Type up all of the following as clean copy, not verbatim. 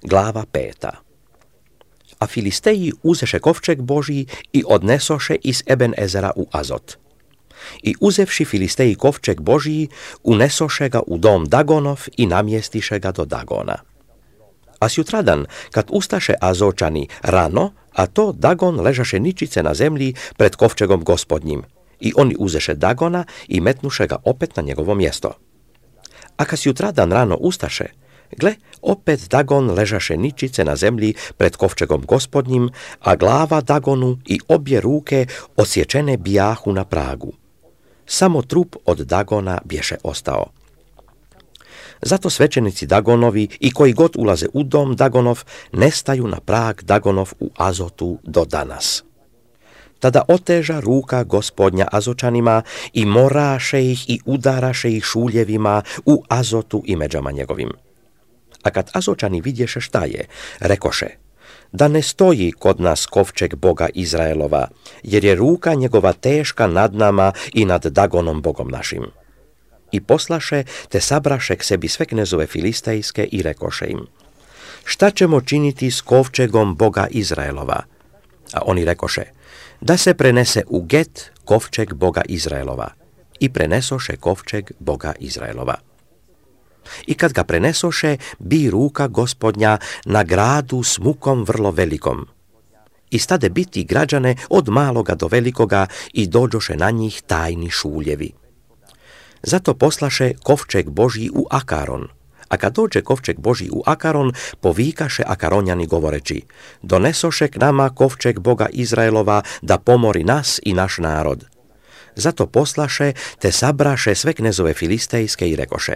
Glava 5. A Filisteji uzeše kovčeg Boží i odnesoše iz Eben Ezera u Azot. I uzevši Filisteji kovčeg Boží, unesoše ga u dom Dagonov i namjestiše ga do Dagona. A sjutradan, kad ustaše Azočani rano, a to Dagon ležaše ničice na zemlji pred kovčegom Gospodnjim, i oni uzeše Dagona i metnuše ga opet na njegovo mjesto. A kad sjutradan rano ustaše, gle, opet Dagon ležaše ničice na zemlji pred kovčegom Gospodnjim, a glava Dagonu i obje ruke odsječene bijahu na pragu. Samo trup od Dagona bješe ostao. Zato svećenici Dagonovi i koji god ulaze u dom Dagonov nestaju na prag Dagonov u Azotu do danas. Tada oteža ruka Gospodnja Azočanima i moraše ih i udaraše ih šuljevima u Azotu i međama njegovim. A kad Azočani vidješe šta je, rekoše: da ne stoji kod nas kovčeg Boga Izraelova, jer je ruka njegova teška nad nama i nad Dagonom Bogom našim. I poslaše te sabraše k sebi sve knezove filistejske i rekoše im: šta ćemo činiti s kovčegom Boga Izraelova? A oni rekoše: da se prenese u Get kovčeg Boga Izraelova. I prenesoše kovčeg Boga Izraelova. I kad ga prenesoše, bi ruka Gospodnja na gradu s mukom vrlo velikom. I stade biti građane od maloga do velikoga i dođoše na njih tajni šuljevi. Zato poslaše kovčeg Božji u Akaron. A kad dođe kovčeg Božji u Akaron, povikaše Akaronjani govoreći: donesoše k nama kovčeg Boga Izraelova da pomori nas i naš narod. Zato poslaše te sabraše sve knezove filistejske i rekoše: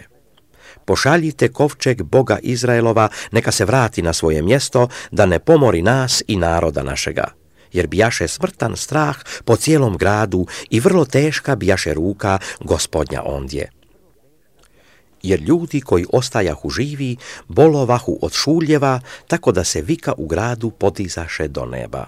pošaljite kovčeg Boga Izraelova, neka se vrati na svoje mjesto, da ne pomori nas i naroda našega. Jer bijaše smrtan strah po cijelom gradu i vrlo teška bijaše ruka Gospodnja ondje. Jer ljudi koji ostajahu živi, bolovahu od šuljeva, tako da se vika u gradu podizaše do neba.